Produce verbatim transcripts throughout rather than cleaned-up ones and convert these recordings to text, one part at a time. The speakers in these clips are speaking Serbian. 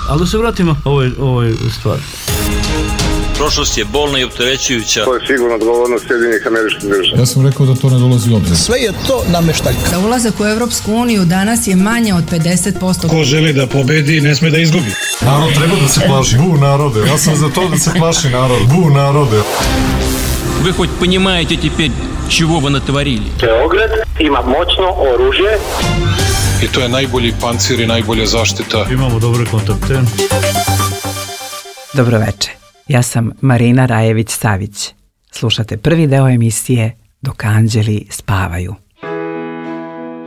Ali da se vratimo ovoj, ovoj stvari. Prošlost je bolna i opterećujuća. To je sigurno odgovornost Sjedinjenih Američkih Država. Ja sam rekao da to ne dolazi u obzir. Sve je to nameštaljka. Da ulazak u Evropsku uniju danas je manje od pedeset posto. Ko želi da pobedi, ne sme da izgubi. Narod treba da se plaši. Bu narode. Ja sam za to da se plaši narod. Bu narode. Вы хоть понимаете теперь, чего вы натворили? Beograd ima moćno oružje. I to je najbolji pancir i najbolja zaštita. Imamo dobre kontakte. Dobroveče. Ja sam Marina Rajević-Savić. Slušate prvi deo emisije Dok anđeli spavaju.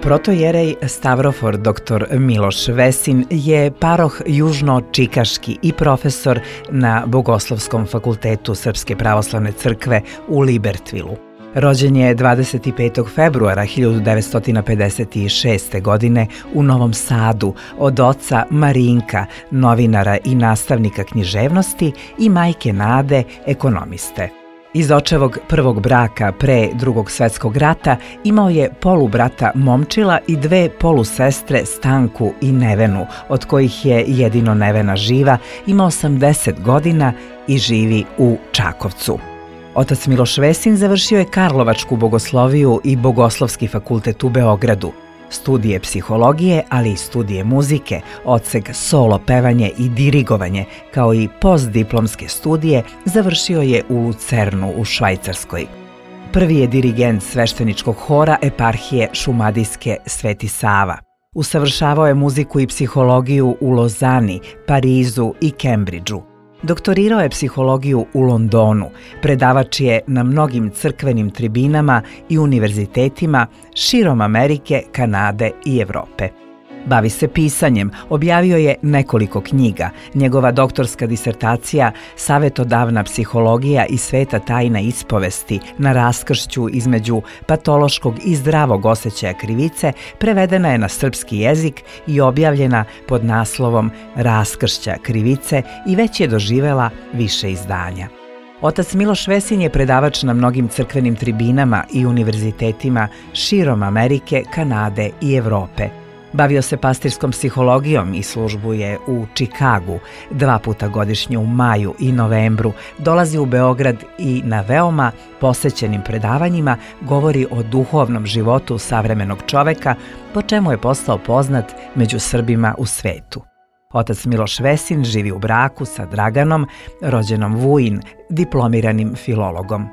Protojerej Stavrofor doktor Miloš Vesin je paroh južno-čikaški i profesor na Bogoslovskom fakultetu Srpske pravoslavne crkve u Libertvilu. Rođen je dvadeset petog februara hiljadu devetsto pedeset šeste. godine u Novom Sadu od oca Marinka, novinara i nastavnika književnosti, i majke Nade, ekonomiste. Iz očevog prvog braka pre Drugog svetskog rata imao je polubrata Momčila i dve polusestre Stanku i Nevenu, od kojih je jedino Nevena živa, ima osamdeset godina i živi u Čakovcu. Otac Miloš Vesin završio je Karlovačku bogosloviju i Bogoslovski fakultet u Beogradu, studije psihologije, ali i studije muzike, odsek solo pevanje i dirigovanje, kao i postdiplomske studije završio je u Lucernu u Švajcarskoj. Prvi je dirigent svešteničkog hora eparhije Šumadijske Sveti Sava. Usavršavao je muziku i psihologiju u Lozani, Parizu i Kembridžu. Doktorirao je psihologiju u Londonu, predavač je na mnogim crkvenim tribinama i univerzitetima širom Amerike, Kanade i Evrope. Bavi se pisanjem, objavio je nekoliko knjiga. Njegova doktorska disertacija Savetodavna psihologija i sveta tajna ispovesti na raskršću između patološkog i zdravog osjećaja krivice prevedena je na srpski jezik i objavljena pod naslovom Raskršća krivice i već je doživela više izdanja. Otac Miloš Vesin je predavač na mnogim crkvenim tribinama i univerzitetima širom Amerike, Kanade i Evrope. Bavio se pastirskom psihologijom i službuje u Čikagu. Dva puta godišnje u maju i novembru dolazi u Beograd i na veoma posećenim predavanjima govori o duhovnom životu savremenog čoveka, po čemu je postao poznat među Srbima u svetu. Otac Miloš Vesin živi u braku sa Draganom, rođenom Vujin, diplomiranim filologom.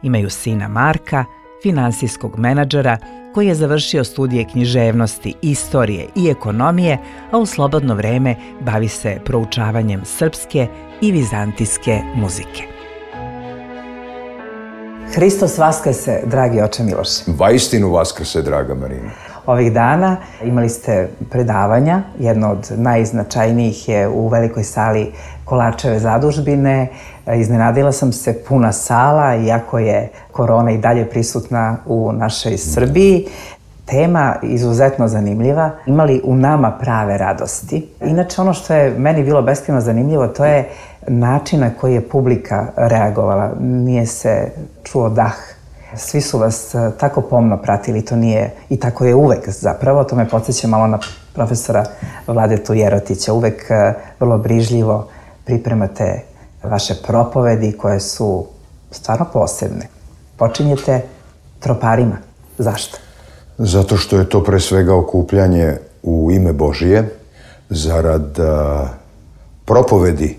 Imaju sina Marka, finansijskog menadžera, koji je završio studije književnosti, istorije i ekonomije, a u slobodno vreme bavi se proučavanjem srpske i vizantijske muzike. Hristos vaskrse, dragi oče Miloše. Vaistinu vaskrse, draga Marina. Ovih dana imali ste predavanja, jedno od najznačajnijih je u velikoj sali Kolarčeve zadužbine. Iznenadila sam se, puna sala, iako je korona i dalje prisutna u našoj Srbiji. Tema izuzetno zanimljiva. Imali u nama prave radosti. Inače, ono što je meni bilo beskrajno zanimljivo, to je način na koji je publika reagovala. Nije se čuo dah. Svi su vas tako pomno pratili, to nije, i tako je uvek zapravo, to me podsjeća malo na profesora Vladetu Jerotića. Uvek vrlo brižljivo pripremate vaše propovedi koje su stvarno posebne. Počinjete troparima. Zašto? Zato što je to pre svega okupljanje u ime Božije, zarad uh, propovedi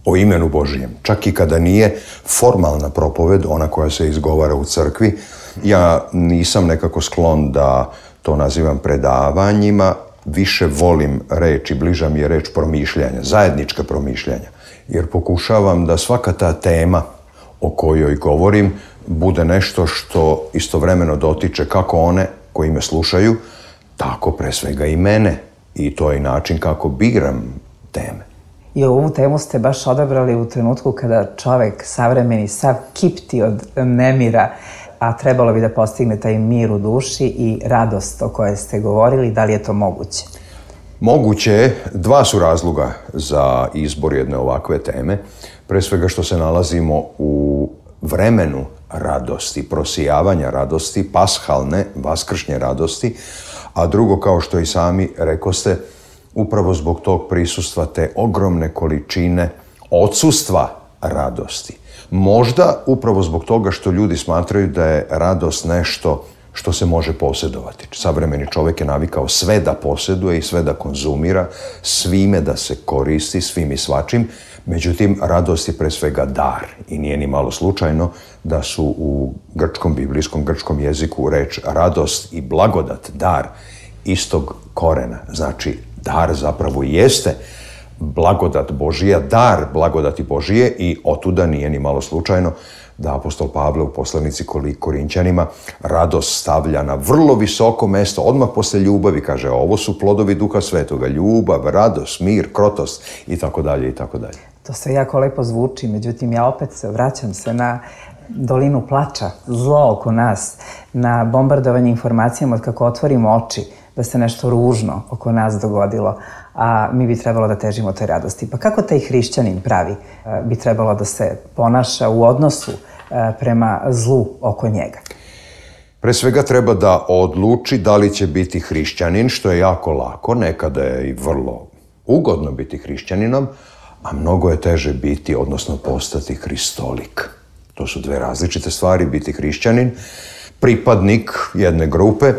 o imenu Božijem. Čak i kada nije formalna propoved, ona koja se izgovara u crkvi, ja nisam nekako sklon da to nazivam predavanjima, više volim reč i bliža mi je reč promišljanja, zajednička promišljanja. Jer pokušavam da svaka ta tema o kojoj govorim bude nešto što istovremeno dotiče kako one koji me slušaju, tako pre svega i mene. I to je način kako biram teme. I ovu temu ste baš odabrali u trenutku kada čovek savremeni sav kipti od nemira, a trebalo bi da postigne taj mir u duši i radost o kojoj ste govorili. Da li je to moguće? Moguće je. Dva su razloga za izbor jedne ovakve teme. Pre svega što se nalazimo u vremenu radosti, prosijavanja radosti, pashalne, vaskršnje radosti, a drugo, kao što i sami rekoste, upravo zbog tog prisustva te ogromne količine odsustva radosti. Možda upravo zbog toga što ljudi smatraju da je radost nešto što se može posjedovati. Savremeni čovjek je navikao sve da posjeduje i sve da konzumira, svime da se koristi, svim i svačim. Međutim, radost je pre svega dar i nije ni malo slučajno da su u grčkom, biblijskom, grčkom jeziku reč radost i blagodat, dar, istog korena. Znači, dar zapravo jeste blagodat Božija, dar blagodati Božije i otuda nije ni malo slučajno da apostol Pavle u poslanici Korinćanima radost stavlja na vrlo visoko mesto, odmah posle ljubavi, kaže, ovo su plodovi Duha Svetoga, ljubav, radost, mir, krotost i tako dalje i tako dalje. To sve jako lepo zvuči, međutim ja opet vraćam se na dolinu plača, zlo oko nas, na bombardovanje informacijama od kako otvorimo oči, da se nešto ružno oko nas dogodilo, a mi bi trebalo da težimo toj radosti. Pa kako taj hrišćanin pravi bi trebalo da se ponaša u odnosu prema zlu oko njega? Pre svega treba da odluči da li će biti hrišćanin, što je jako lako, nekada je i vrlo ugodno biti hrišćaninom, a mnogo je teže biti, odnosno postati hristolik. To su dve različite stvari, biti hrišćanin, pripadnik jedne grupe,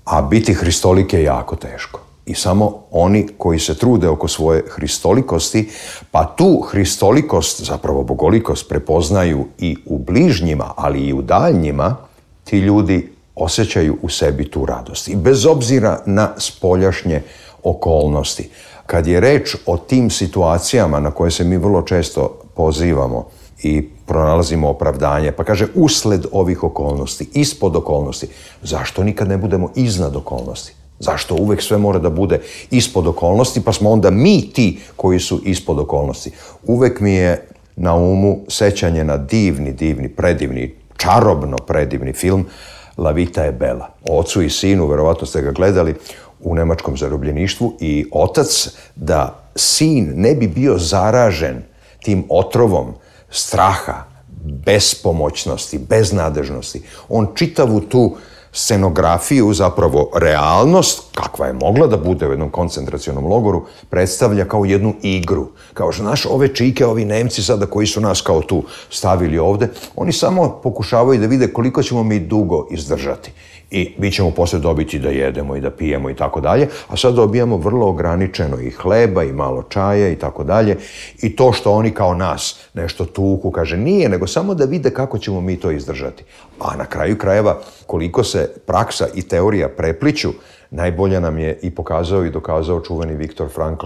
a biti hristolik je jako teško. I samo oni koji se trude oko svoje hristolikosti, pa tu hristolikost, zapravo bogolikost, prepoznaju i u bližnjima, ali i u daljnjima, ti ljudi osjećaju u sebi tu radost. I bez obzira na spoljašnje okolnosti. Kad je reč o tim situacijama na koje se mi vrlo često pozivamo i pronalazimo opravdanje, pa kaže usled ovih okolnosti, ispod okolnosti, zašto nikad ne budemo iznad okolnosti? Zašto uvek sve mora da bude ispod okolnosti, pa smo onda mi ti koji su ispod okolnosti? Uvek mi je na umu sećanje na divni, divni, predivni, čarobno predivni film La vita e bella. O ocu i sinu, verovatno ste ga gledali, u nemačkom zarobljeništvu, i otac, da sin ne bi bio zaražen tim otrovom straha, bespomoćnosti, beznadežnosti. On čitavu tu scenografiju, zapravo realnost, kakva je mogla da bude u jednom koncentracionom logoru, predstavlja kao jednu igru. Kao što, znaš, ove čike, ovi Nemci sada koji su nas kao tu stavili ovde, oni samo pokušavaju da vide koliko ćemo mi dugo izdržati. I mi ćemo posle dobiti da jedemo i da pijemo i tako dalje, a sad dobijamo vrlo ograničeno i hleba i malo čaja i tako dalje. I to što oni kao nas nešto tuku, kaže, nije, nego samo da vide kako ćemo mi to izdržati. A na kraju krajeva, koliko se praksa i teorija prepliću, najbolje nam je i pokazao i dokazao čuveni Viktor Frankl,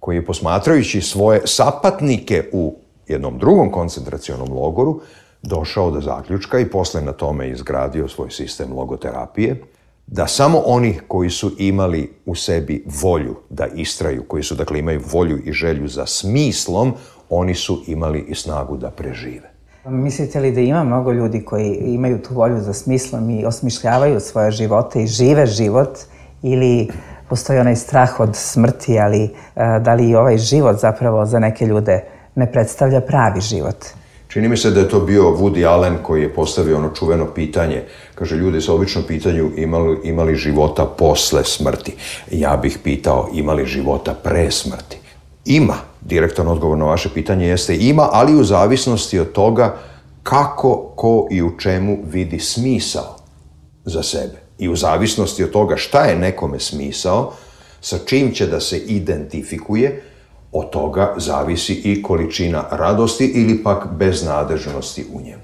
koji je posmatrajući svoje sapatnike u jednom drugom koncentracionom logoru, došao do zaključka i posle na tome izgradio svoj sistem logoterapije, da samo oni koji su imali u sebi volju da istraju, koji su, dakle, imaju volju i želju za smislom, oni su imali i snagu da prežive. Mislite li da ima mnogo ljudi koji imaju tu volju za smislom i osmišljavaju svoje živote i žive život, ili postoji onaj strah od smrti, ali da li i ovaj život zapravo za neke ljude ne predstavlja pravi život? Čini mi se da je to bio Woody Allen koji je postavio ono čuveno pitanje. Kaže, ljudi se obično pitaju imali, imali života posle smrti. Ja bih pitao, imali života pre smrti? Ima. Direktan odgovor na vaše pitanje jeste ima, ali u zavisnosti od toga kako, ko i u čemu vidi smisao za sebe. I u zavisnosti od toga šta je nekome smisao, sa čim će da se identifikuje, od toga zavisi i količina radosti ili pak beznadežnosti u njemu.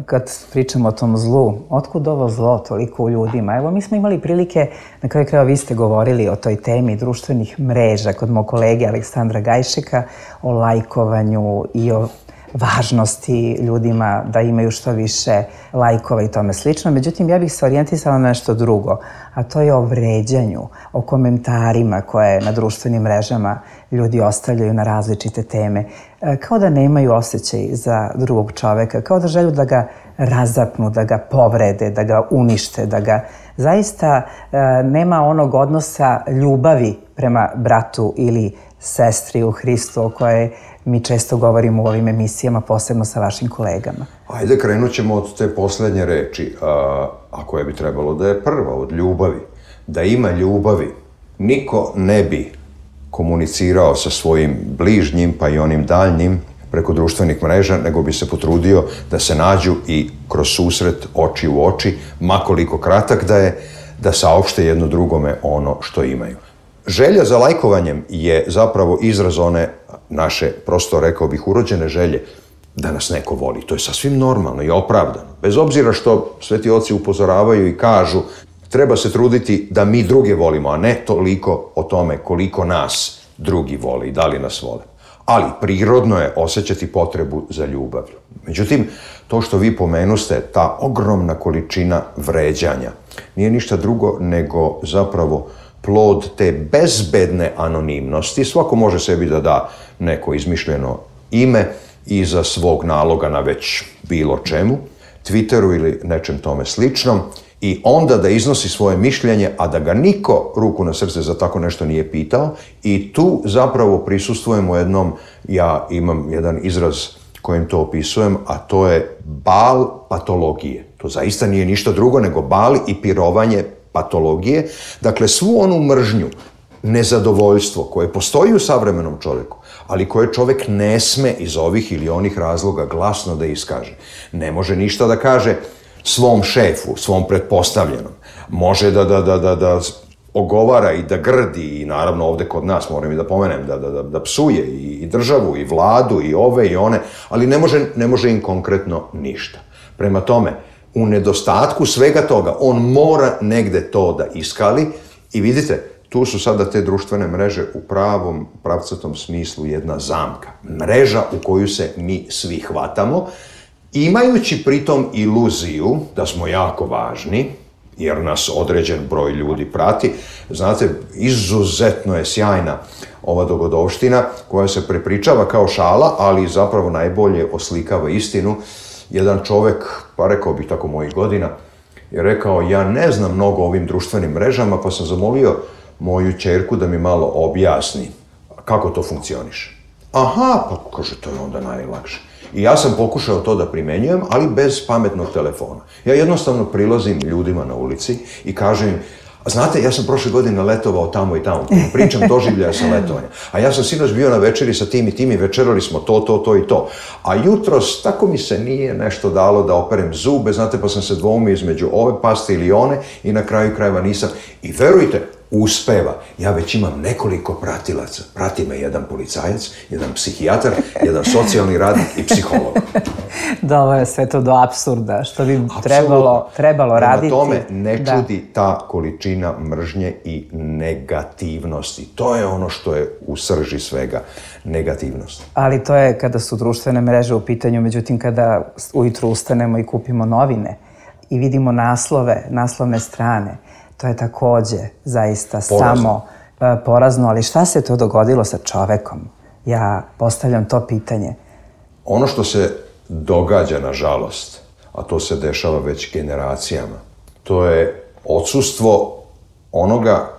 Kad pričamo o tom zlu, otkud ovo zlo toliko u ljudima? Evo, mi smo imali prilike, na kraju krajeva vi ste govorili o toj temi društvenih mreža kod mog kolege Aleksandra Gajšeka, o lajkovanju i o važnosti ljudima da imaju što više lajkova i tome slično. Međutim, ja bih se orijentisala na nešto drugo, a to je o vređanju, o komentarima koje na društvenim mrežama ljudi ostavljaju na različite teme. Kao da nemaju osjećaj za drugog čoveka, kao da želju da ga razapnu, da ga povrede, da ga unište, da ga zaista nema onog odnosa ljubavi prema bratu ili sestri u Hristu o kojoj mi često govorimo u ovim emisijama, posebno sa vašim kolegama. Ajde, krenut ćemo od te poslednje reči, a, a koja bi trebalo da je prva, od ljubavi. Da ima ljubavi, niko ne bi komunicirao sa svojim bližnjim pa i onim daljnjim preko društvenih mreža, nego bi se potrudio da se nađu i kroz susret oči u oči, makoliko kratak da je, da saopšte jedno drugome ono što imaju. Želja za lajkovanjem je zapravo izraz one naše, prosto rekao bih, urođene želje da nas neko voli. To je sasvim normalno i opravdano. Bez obzira što sveti oci upozoravaju i kažu treba se truditi da mi druge volimo, a ne toliko o tome koliko nas drugi vole i da li nas vole. Ali prirodno je osjećati potrebu za ljubavlju. Međutim, to što vi pomenuste, ta ogromna količina vređanja, nije ništa drugo nego zapravo plod te bezbedne anonimnosti. Svako može sebi da da neko izmišljeno ime iza svog naloga na već bilo čemu, Twitteru ili nečem tome sličnom, i onda da iznosi svoje mišljenje, a da ga niko, ruku na srce, za tako nešto nije pitao. I tu zapravo prisustvujemo jednom, ja imam jedan izraz kojim to opisujem, a to je bal patologije. To zaista nije ništa drugo nego bal i pirovanje patologije. Dakle, svu onu mržnju, nezadovoljstvo koje postoji u savremenom čovjeku, ali koje čovjek ne sme iz ovih ili onih razloga glasno da iskaže. Ne može ništa da kaže svom šefu, svom pretpostavljenom. Može da, da, da, da, da ogovara i da grdi, i naravno ovdje kod nas, moram i da pomenem, da, da, da, da psuje i, i državu, i vladu, i ove i one, ali ne može, ne može im konkretno ništa. Prema tome, u nedostatku svega toga, on mora negde to da iskali i vidite, tu su sada te društvene mreže u pravom, pravcatom smislu jedna zamka. Mreža u koju se mi svi hvatamo, imajući pritom iluziju da smo jako važni, jer nas određen broj ljudi prati. Znate, izuzetno je sjajna ova dogodovština koja se prepričava kao šala, ali zapravo najbolje oslikava istinu. Jedan čovek, pa rekao bih tako mojih godina, je rekao, ja ne znam mnogo o ovim društvenim mrežama, pa sam zamolio moju ćerku da mi malo objasni kako to funkcioniše. Aha, pa kaže, to je onda najlakše. I ja sam pokušao to da primenjujem, ali bez pametnog telefona. Ja jednostavno prilazim ljudima na ulici i kažem im, a znate, ja sam prošle godine letovao tamo i tamo, pričam doživljaja sa letovanja. A ja sam sinoć bio na večeri sa tim i tim i večerali smo to, to, to i to. A jutros tako mi se nije nešto dalo da operem zube, znate, pa sam se dvoumio između ove paste ili one i na kraju krajeva nisam. I verujte, uspeva. Ja već imam nekoliko pratilaca. Prati me jedan policajac, jedan psihijatar, jedan socijalni radnik i psiholog. Da, ovo je sve to do apsurda, što bi trebalo, trebalo raditi. Prema tome ne čudi da. Ta količina mržnje i negativnosti. To je ono što je u srži svega, negativnost. Ali to je kada su društvene mreže u pitanju, međutim kada ujutru ustanemo i kupimo novine i vidimo naslove, naslovne strane, to je takođe zaista porazno. samo uh, porazno, ali šta se to dogodilo sa čovekom? Ja postavljam to pitanje. Ono što se događa, nažalost, a to se dešava već generacijama, to je odsustvo onoga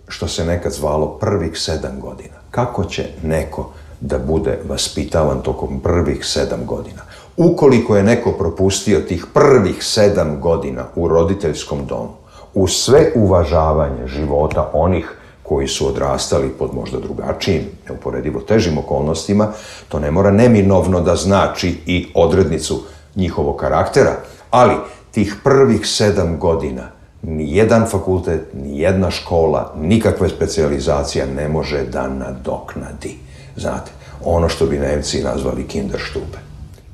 što se nekad zvalo prvih sedam godina. Kako će neko da bude vaspitavan tokom prvih sedam godina? Ukoliko je neko propustio tih prvih sedam godina u roditeljskom domu, uz sve uvažavanje života onih koji su odrastali pod možda drugačijim, neuporedivo težim okolnostima, to ne mora neminovno da znači i odrednicu njihovog karaktera, ali tih prvih sedam godina ni jedan fakultet, ni jedna škola, nikakva specijalizacija ne može da nadoknadi. Znate, ono što bi Nemci nazvali Kinderstube.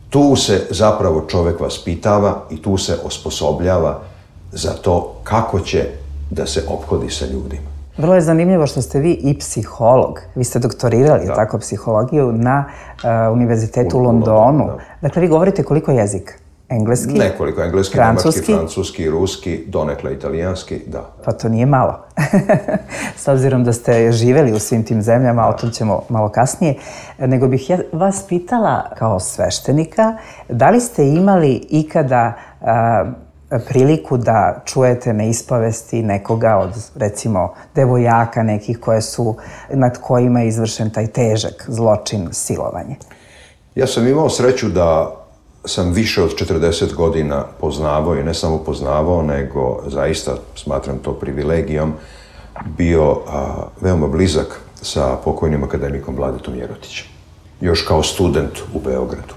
Tu se zapravo čovek vaspitava i tu se osposobljava za to kako će da se ophodi sa ljudima. Vrlo je zanimljivo što ste vi i psiholog. Vi ste doktorirali da. tako psihologiju na uh, Univerzitetu u, u Londonu. Da. Dakle, vi govorite koliko jezika? Engleski? Nekoliko, engleski, francuski, nemački, francuski, ruski, donekle italijanski, da. Pa to nije malo. S obzirom da ste živeli u svim tim zemljama, da. o tom ćemo malo kasnije. Nego bih ja vas pitala kao sveštenika, da li ste imali ikada uh, priliku da čujete neispovesti nekoga od, recimo, devojaka nekih koje su, nad kojima je izvršen taj težak zločin, silovanje? Ja sam imao sreću da sam više od četrdeset godina poznavao i ne samo poznavao, nego zaista smatram to privilegijom, bio a, veoma blizak sa pokojnim akademikom Vladetom Jerotićem. Još kao student u Beogradu.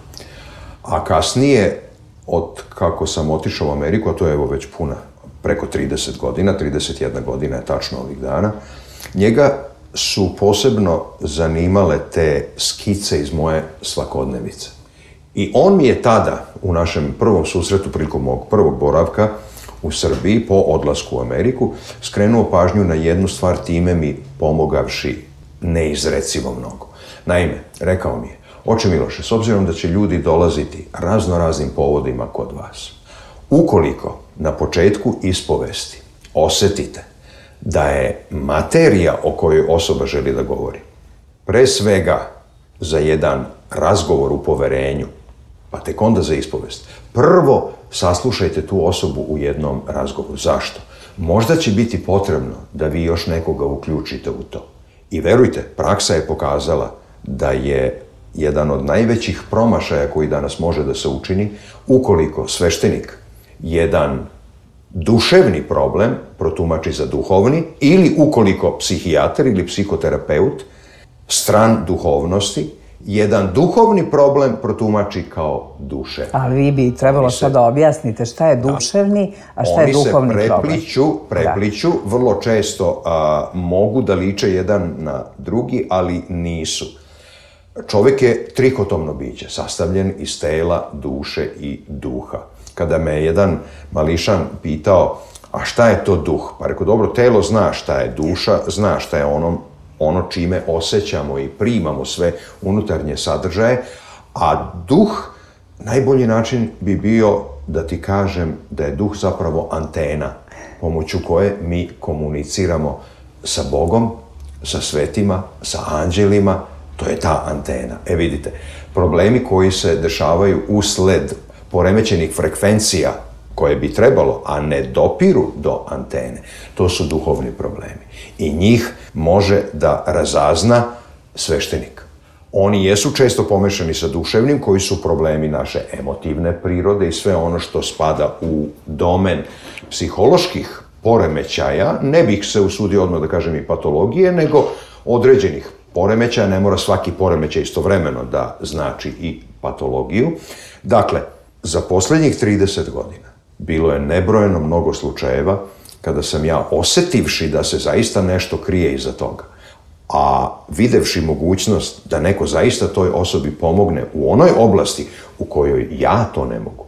A kasnije, od kako sam otišao u Ameriku, a to je evo već puna, preko trideset godina, trideset jedna godina je tačno ovih dana, njega su posebno zanimale te skice iz moje svakodnevice. I on mi je tada, u našem prvom susretu, prilikom mog prvog boravka u Srbiji, po odlasku u Ameriku, skrenuo pažnju na jednu stvar, time mi pomogavši neizrecivo mnogo. Naime, rekao mi je, oče Miloše, s obzirom da će ljudi dolaziti razno raznim povodima kod vas, ukoliko na početku ispovesti osetite da je materija o kojoj osoba želi da govori, pre svega za jedan razgovor u poverenju, pa tek onda za ispovest, prvo saslušajte tu osobu u jednom razgovoru. Zašto? Možda će biti potrebno da vi još nekoga uključite u to. I verujte, praksa je pokazala da je jedan od najvećih promašaja koji danas može da se učini, ukoliko sveštenik jedan duševni problem protumači za duhovni, ili ukoliko psihijatar ili psihoterapeut stran duhovnosti jedan duhovni problem protumači kao duševni. Ali vi bi trebalo sad da objasnite šta je duševni, a šta je duhovni problem. Oni se prepliću, prepliću, da. Vrlo često a, mogu da liče jedan na drugi, ali nisu. Čovjek je trikotomno biće, sastavljen iz tela, duše i duha. Kada me jedan mališan pitao, a šta je to duh? Pa rekao, dobro, telo zna šta je, duša zna šta je ono, ono čime osjećamo i primamo sve unutarnje sadržaje, a duh, najbolji način bi bio da ti kažem da je duh zapravo antena pomoću koje mi komuniciramo sa Bogom, sa svetima, sa anđelima. To je ta antena. E vidite, problemi koji se dešavaju usled poremećenih frekvencija koje bi trebalo, a ne dopiru do antene, to su duhovni problemi. I njih može da razazna sveštenik. Oni jesu često pomešani sa duševnim, koji su problemi naše emotivne prirode i sve ono što spada u domen psiholoških poremećaja, ne bih se usudio odmah da kažem i patologije, nego određenih poremećaja, ne mora svaki poremećaj istovremeno da znači i patologiju. Dakle, za posljednjih trideset godina bilo je nebrojeno mnogo slučajeva kada sam ja, osetivši da se zaista nešto krije iza toga, a videvši mogućnost da neko zaista toj osobi pomogne u onoj oblasti u kojoj ja to ne mogu,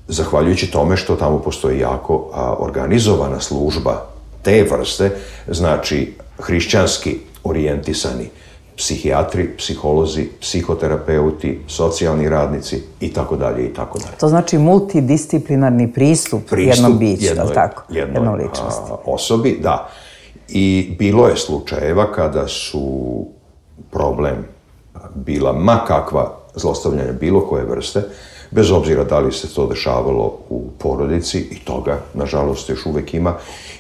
zahvaljujući tome što tamo postoji jako a, organizovana služba te vrste, znači hrišćanski orijentisani psihijatri, psiholozi, psihoterapeuti, socijalni radnici i tako dalje i tako dalje. To znači multidisciplinarni pristup, pristup jednom biću, jednoj, tako? Jednoj, jednom ličnosti. A, osobi, da. I bilo je slučajeva kada su problem bila ma kakva zlostavljanja bilo koje vrste, bez obzira da li se to dešavalo u porodici, i toga, nažalost, još uvek ima,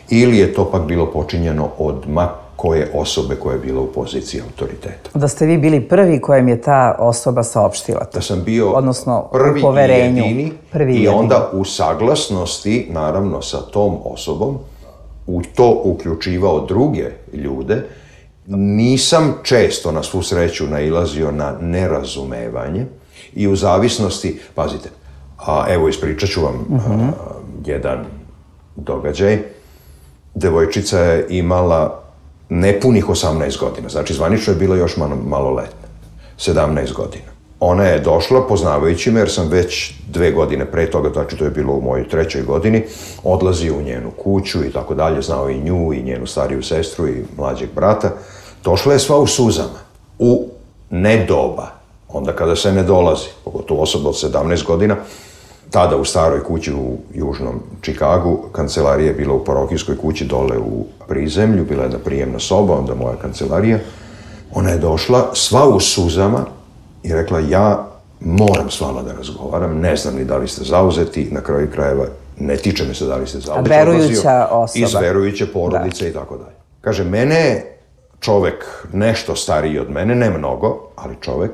ili je to pak bilo počinjeno od ma koje osobe koja je bila u poziciji autoriteta. Da ste vi bili prvi kojem je ta osoba saopštila to? Da sam bio odnosno, prvi u i jedini, prvi i jedini. onda u saglasnosti, naravno, sa tom osobom, u to uključivao druge ljude. Nisam često, na svu sreću, nailazio na nerazumevanje i u zavisnosti, pazite, a evo ispričat ću vam uh-huh. a, jedan događaj. Devojčica je imala nepunih osamnaest godina, znači zvanično je bila još maloletna, sedamnaest godina. Ona je došla, poznavajući me, jer sam već dve godine pre toga, znači to je bilo u mojoj trećoj godini, odlazio u njenu kuću i tako dalje, znao i nju i njenu stariju sestru i mlađeg brata. Došla je sva u suzama, u nedoba, onda kada se ne dolazi, pogotovo osoba od sedamnaest godina, tada u staroj kući u južnom Čikagu, kancelarija je bila u parohijskoj kući dole u prizemlju, bila je jedna prijemna soba, onda moja kancelarija. Ona je došla sva u suzama i rekla, ja moram s vama da razgovaram, ne znam ni da li ste zauzeti, na kraju krajeva ne tiče me se da li ste zauzeti. A verujuća osoba. Iz verujuće porodice da. I tako dalje. Kaže, mene je čovek nešto stariji od mene, ne mnogo, ali čovek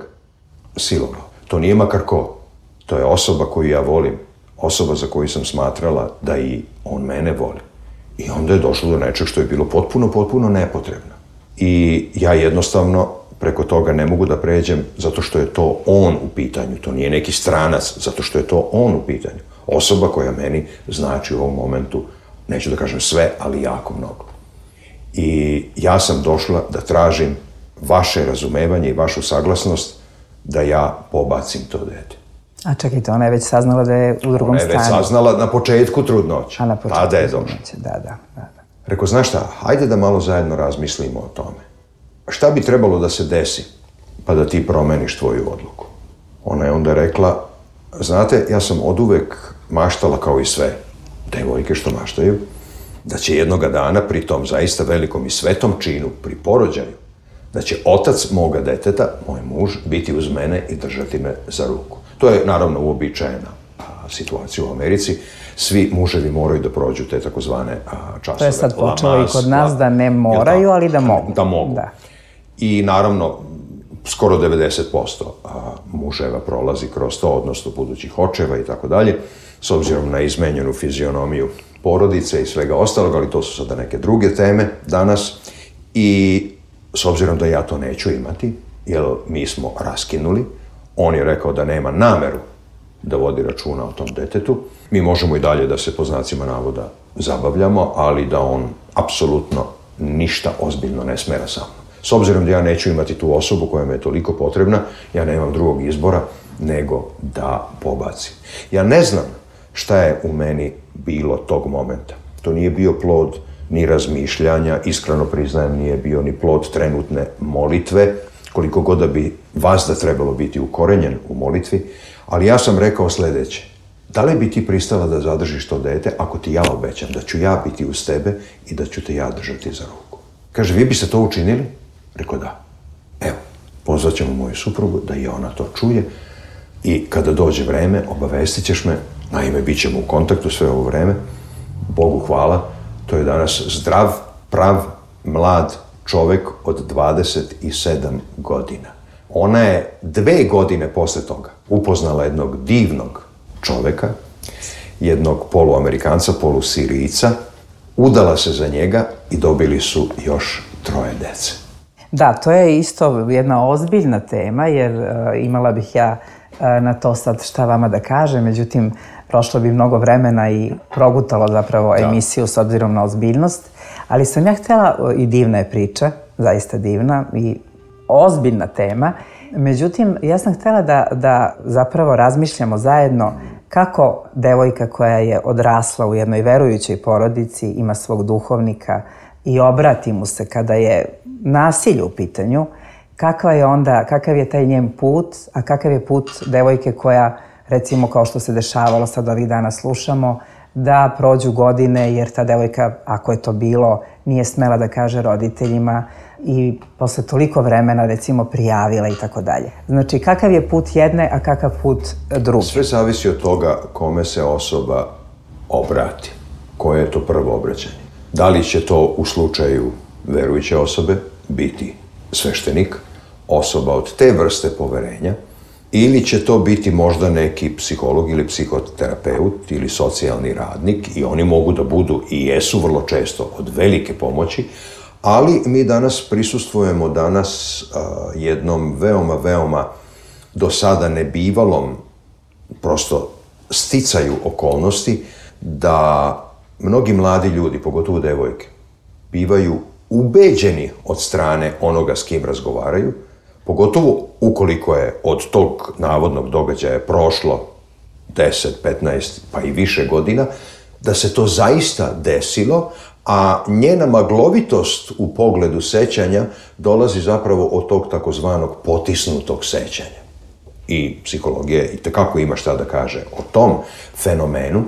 silovao. To nije makar ko. To je osoba koju ja volim, osoba za koju sam smatrala da i on mene voli. I onda je došlo do nečeg što je bilo potpuno, potpuno nepotrebno. I ja jednostavno preko toga ne mogu da pređem zato što je to on u pitanju. To nije neki stranac, zato što je to on u pitanju. Osoba koja meni znači u ovom momentu, neću da kažem sve, ali jako mnogo. I ja sam došla da tražim vaše razumevanje i vašu saglasnost da ja pobacim to dete. A čekajte, ona je već saznala da je u drugom stanju. Ona je već saznala na početku trudnoće. A na početku Tada je trudnoće, došla. da, da, da. Rekao, znaš šta, hajde da malo zajedno razmislimo o tome. Šta bi trebalo da se desi pa da ti promeniš tvoju odluku? Ona je onda rekla, znate, ja sam oduvek maštala kao i sve devojke što maštaju, da će jednoga dana pri tom zaista velikom i svetom činu, pri porođaju, da će otac moga deteta, moj muž, biti uz mene i držati me za ruku. To je naravno uobičajena situacija u Americi. Svi muževi moraju da prođu te takozvane časove. To je sad počelo i kod nas da ne moraju, ali da mogu. Da mogu. Da. I naravno, skoro devedeset posto muževa prolazi kroz to, odnosno budućih očeva i tako dalje, s obzirom na izmenjenu fizionomiju porodice i svega ostalog, ali to su sada neke druge teme danas. I s obzirom da ja to neću imati, jer mi smo raskinuli, on je rekao da nema nameru da vodi računa o tom detetu. Mi možemo i dalje da se po znacima navoda zabavljamo, ali da on apsolutno ništa ozbiljno ne smera sa mnom. S obzirom da ja neću imati tu osobu koja me je toliko potrebna, ja nemam drugog izbora nego da pobacim. Ja ne znam šta je u meni bilo tog momenta. To nije bio plod ni razmišljanja, iskreno priznajem, nije bio ni plod trenutne molitve, koliko god da bi vazda trebalo biti ukorenjen u molitvi, ali ja sam rekao sledeće. Da li bi ti pristala da zadržiš to dete ako ti ja obećam da ću ja biti uz tebe i da ću te ja držati za ruku? Kaže, vi biste to učinili? Rekao, da. Evo, pozvat ćemo moju suprugu da i ona to čuje i kada dođe vreme, obavestit ćeš me, naime, bit ćemo u kontaktu sve ovo vreme, Bogu hvala, to je danas zdrav, prav, mlad čovek od dvadeset sedam godina. Ona je dve godine posle toga upoznala jednog divnog čoveka, jednog poluamerikanca, polusirijica, udala se za njega i dobili su još troje dece. Da, to je isto jedna ozbiljna tema, jer uh, imala bih ja uh, na to sad šta vama da kažem, međutim, prošlo bi mnogo vremena i progutalo zapravo da. emisiju s obzirom na ozbiljnost, ali sam ja htjela, i divna je priča, zaista divna i ozbiljna tema, međutim, ja sam htjela da, da zapravo razmišljamo zajedno kako devojka koja je odrasla u jednoj verujućoj porodici, ima svog duhovnika i obrati mu se kada je nasilje u pitanju, kakva je onda, kakav je taj njen put, a kakav je put devojke koja, recimo kao što se dešavalo sad ovih dana slušamo, da prođu godine jer ta devojka, ako je to bilo, nije smela da kaže roditeljima i posle toliko vremena, recimo, prijavila i tako dalje. Znači, kakav je put jedne, a kakav put druge? Sve zavisi od toga kome se osoba obrati, koje je to prvo obraćanje. Da li će to u slučaju verujuće osobe biti sveštenik, osoba od te vrste poverenja, ili će to biti možda neki psiholog ili psihoterapeut ili socijalni radnik i oni mogu da budu i jesu vrlo često od velike pomoći, ali mi danas prisustvujemo danas uh, jednom veoma, veoma do sada nebivalom prosto sticaju okolnosti da mnogi mladi ljudi, pogotovo devojke, bivaju ubeđeni od strane onoga s kim razgovaraju, pogotovo ukoliko je od tog navodnog događaja prošlo deset, petnaest pa i više godina, da se to zaista desilo, a njena maglovitost u pogledu sećanja dolazi zapravo od tog takozvanog potisnutog sećanja. I psihologija i tekako ima šta da kaže o tom fenomenu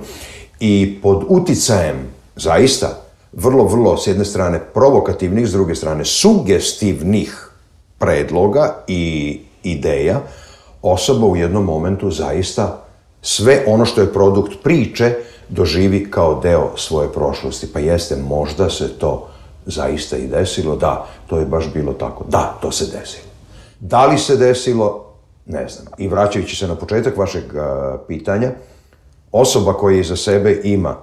i pod uticajem zaista vrlo, vrlo s jedne strane provokativnih, s druge strane sugestivnih predloga i ideja, osoba u jednom momentu zaista sve ono što je produkt priče doživi kao deo svoje prošlosti. Pa jeste, možda se to zaista i desilo, da, to je baš bilo tako, da, to se desilo. Da li se desilo, ne znam. I vraćajući se na početak vašeg a, pitanja, osoba koja iza sebe ima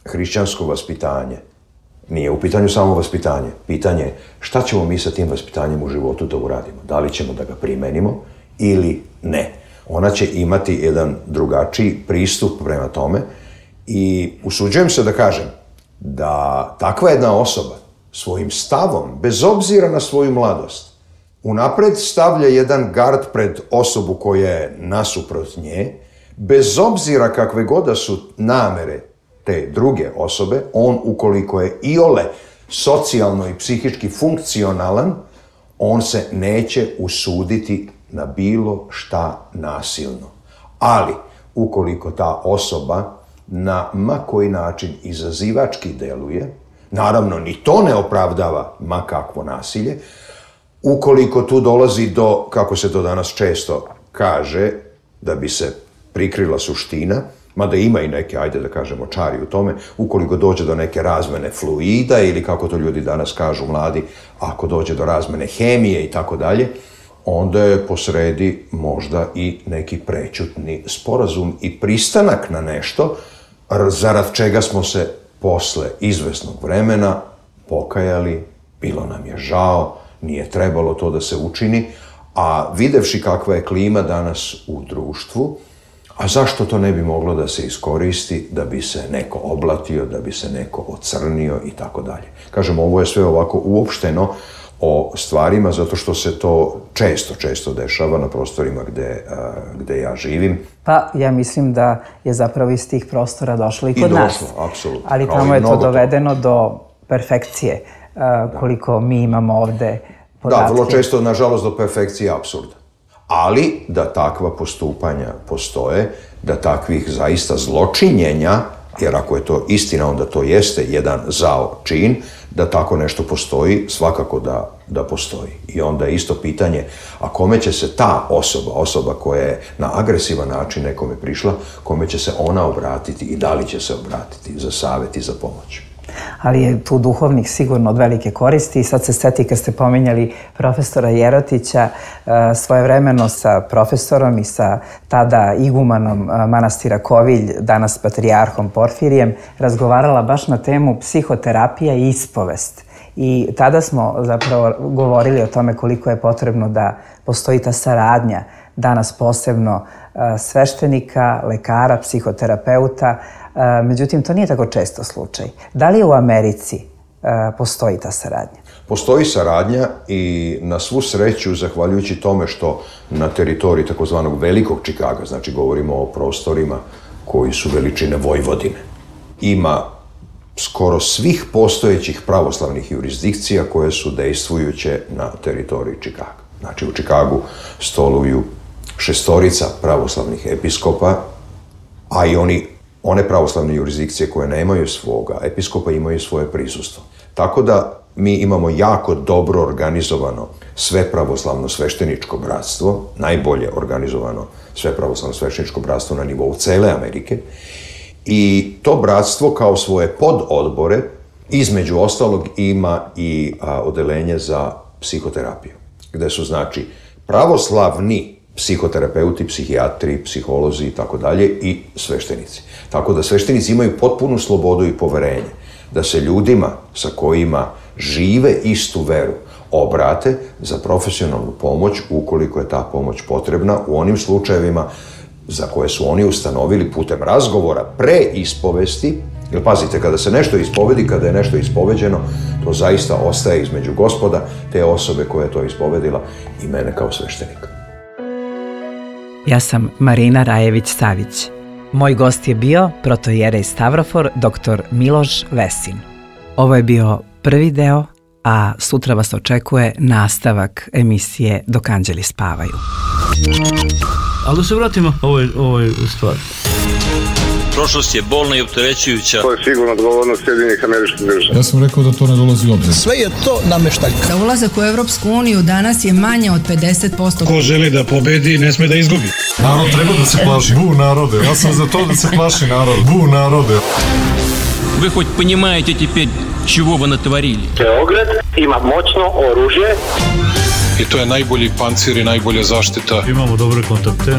hrišćansko vaspitanje, Nije u pitanju samo vaspitanje. Pitanje je šta ćemo mi sa tim vaspitanjem u životu da uradimo. Da li ćemo da ga primenimo ili ne. Ona će imati jedan drugačiji pristup prema tome i usuđujem se da kažem da takva jedna osoba svojim stavom, bez obzira na svoju mladost, unapred stavlja jedan gard pred osobu koja je nasuprot nje, bez obzira kakve god da su namere te druge osobe, on ukoliko je iole socijalno i psihički funkcionalan, on se neće usuditi na bilo šta nasilno. Ali, ukoliko ta osoba na ma koji način izazivački deluje, naravno ni to ne opravdava ma kakvo nasilje, ukoliko tu dolazi do, kako se to danas često kaže, da bi se prikrila suština, mada ima i neke, ajde da kažemo, čari u tome, ukoliko dođe do neke razmene fluida ili kako to ljudi danas kažu mladi, ako dođe do razmene hemije i tako dalje, onda je posredi možda i neki prećutni sporazum i pristanak na nešto, zarad čega smo se posle izvesnog vremena pokajali, bilo nam je žao, nije trebalo to da se učini, a videvši kakva je klima danas u društvu, a zašto to ne bi moglo da se iskoristi, da bi se neko oblatio, da bi se neko ocrnio i tako dalje. Kažem, ovo je sve ovako uopšteno o stvarima, zato što se to često, često dešava na prostorima gde, gde ja živim. Pa ja mislim da je zapravo iz tih prostora došlo i kod nas. I došlo, apsolutno. Ali tamo je to dovedeno do perfekcije, koliko mi imamo ovde podatke. Da, vrlo često, nažalost, do perfekcije apsurda. Ali da takva postupanja postoje, da takvih zaista zločinjenja, jer ako je to istina, onda to jeste jedan zao čin, da tako nešto postoji, svakako da, da postoji. I onda je isto pitanje, a kome će se ta osoba, osoba koja je na agresivan način nekome prišla, kome će se ona obratiti i da li će se obratiti za savjet i za pomoć. Ali je tu duhovnik sigurno od velike koristi i sad se seti kad ste pominjali profesora Jerotića, svojevremeno sa profesorom i sa tada igumanom manastira Kovilj, danas patrijarhom Porfirijem, razgovarala baš na temu psihoterapija i ispovest. I tada smo zapravo govorili o tome koliko je potrebno da postoji ta saradnja, danas posebno sveštenika, lekara, psihoterapeuta. Međutim, to nije tako često slučaj. Da li u Americi postoji ta saradnja? Postoji saradnja i na svu sreću, zahvaljujući tome što na teritoriji takozvanog Velikog Čikaga, znači govorimo o prostorima koji su veličine Vojvodine, ima skoro svih postojećih pravoslavnih jurisdikcija koje su dejstvujuće na teritoriji Čikaga. Znači u Čikagu stoluju šestorica pravoslavnih episkopa, a i oni one pravoslavne jurisdikcije koje nemaju svoga episkopa imaju svoje prisustvo. Tako da mi imamo jako dobro organizovano sve pravoslavno svešteničko bratstvo, najbolje organizovano sve pravoslavno svešteničko bratstvo na nivou cele Amerike. I to bratstvo kao svoje pododbore, između ostalog, ima i a, odelenje za psihoterapiju, gde su znači pravoslavni psihoterapeuti, psihijatri, psiholozi i tako dalje i sveštenici. Tako da sveštenici imaju potpunu slobodu i poverenje da se ljudima sa kojima žive istu veru obrate za profesionalnu pomoć ukoliko je ta pomoć potrebna u onim slučajevima za koje su oni ustanovili putem razgovora pre ispovesti. Jer pazite, kada se nešto ispovedi, kada je nešto ispoveđeno, to zaista ostaje između Gospoda, te osobe koja je to ispovedila i mene kao sveštenika. Ja sam Marina Rajević-Savić. Moj gost je bio protoijerej Stavrofor, doktor Miloš Vesin. Ovo je bio prvi deo, a sutra vas očekuje nastavak emisije Dok anđeli spavaju. Ali da se vratimo ovoj, ovoj stvari. Prošlost je bolna i opterećujuća. To je sigurno odgovornost Sjedinjenih Američkih Država. Ja sam rekao da to ne dolazi u obzir. Sve je to nameštaljka. Za ulazak u Evropsku uniju danas je manje od pedeset posto. Ko želi da pobedi, ne sme da izgubi. Narod treba da se plaši. Bu narode. Ja sam za to da se plaši narod. Bu narode. Вы хоть понимаете теперь, чего вы натворили? Beograd ima moćno oružje. I to je najbolji pancir i najbolja zaštita. Imamo dobre kontakte.